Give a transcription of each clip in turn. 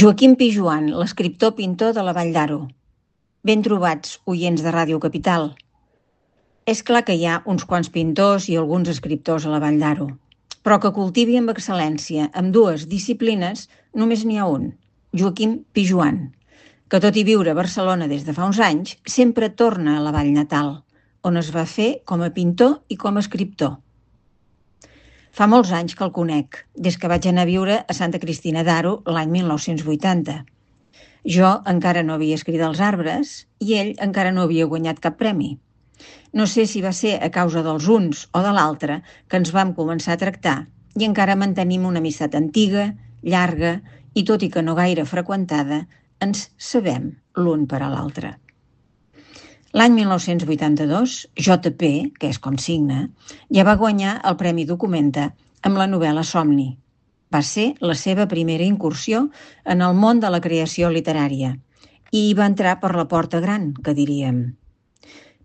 Joaquim Pijoan, l'escriptor-pintor de la Vall d'Aro. Ben trobats, oients de Ràdio Capital. És clar que hi ha uns quants pintors i alguns escriptors a la Vall d'Aro, però que cultivi amb excel·lència ambdues disciplines només n'hi ha un, Joaquim Pijoan, que tot i viure a Barcelona des de fa uns anys, sempre torna a la vall natal, on es va fer com a pintor i com a escriptor. Fa molts anys que el conec, des que vaig anar a viure a Santa Cristina d'Aro l'any 1980. Jo encara no havia escrit Els arbres i ell encara no havia guanyat cap premi. No sé si va ser a causa dels uns o de l'altre que ens vam començar a tractar i encara mantenim una amistat antiga, llarga i, tot i que no gaire freqüentada, ens sabem l'un per a l'altre. L'any 1982, JP, que és com signa, ja va guanyar el Premi Documenta amb la novel·la Somni. Va ser la seva primera incursió en el món de la creació literària i hi va entrar per la porta gran, que diríem.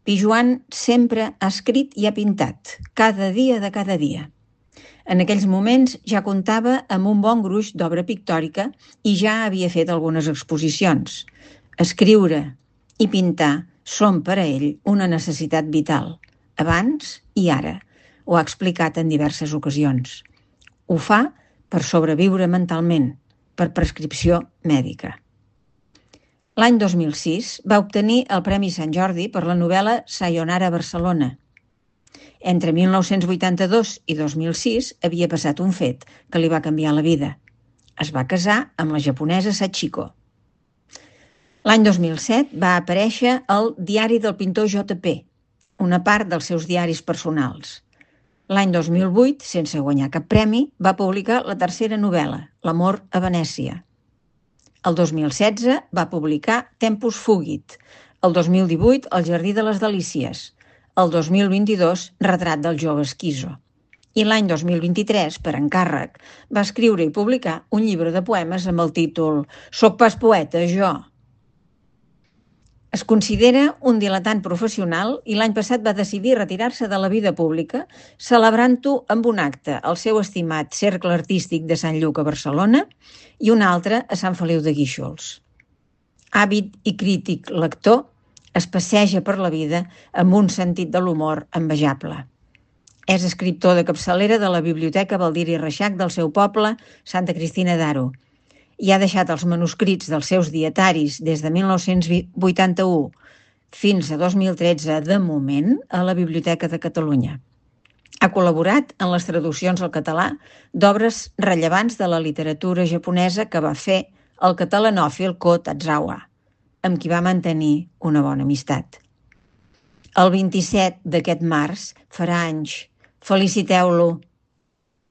Pijoan sempre ha escrit i ha pintat, cada dia de cada dia. En aquells moments ja comptava amb un bon gruix d'obra pictòrica i ja havia fet algunes exposicions. Escriure i pintar són per a ell una necessitat vital, abans i ara. Ho ha explicat en diverses ocasions. Ho fa per sobreviure mentalment, per prescripció mèdica. L'any 2006 va obtenir el Premi Sant Jordi per la novel·la Sayonara Barcelona. Entre 1982 i 2006 havia passat un fet que li va canviar la vida. Es va casar amb la japonesa Sachiko. L'any 2007 va aparèixer al Diari del pintor JP, una part dels seus diaris personals. L'any 2008, sense guanyar cap premi, va publicar la tercera novel·la, L'amor a Venècia. El 2016 va publicar Tempus Fugit. El 2018, El jardí de les delícies. El 2022, Retrat del jove esquizo. I l'any 2023, per encàrrec, va escriure i publicar un llibre de poemes amb el títol «Soc pas poeta, jo». Es considera un diletant professional i l'any passat va decidir retirar-se de la vida pública, celebrant-ho amb un acte al seu estimat Cercle Artístic de Sant Lluc a Barcelona i un altre a Sant Feliu de Guíxols. Àvid i crític lector, es passeja per la vida amb un sentit de l'humor envejable. És escriptor de capçalera de la Biblioteca Baldiri i Reixac del seu poble, Santa Cristina d'Aro, i ha deixat els manuscrits dels seus dietaris des de 1981 fins a 2013, de moment, a la Biblioteca de Catalunya. Ha col·laborat en les traduccions al català d'obres rellevants de la literatura japonesa que va fer el catalanòfil Ko Tatzawa, amb qui va mantenir una bona amistat. El 27 d'aquest març farà anys. Feliciteu-lo!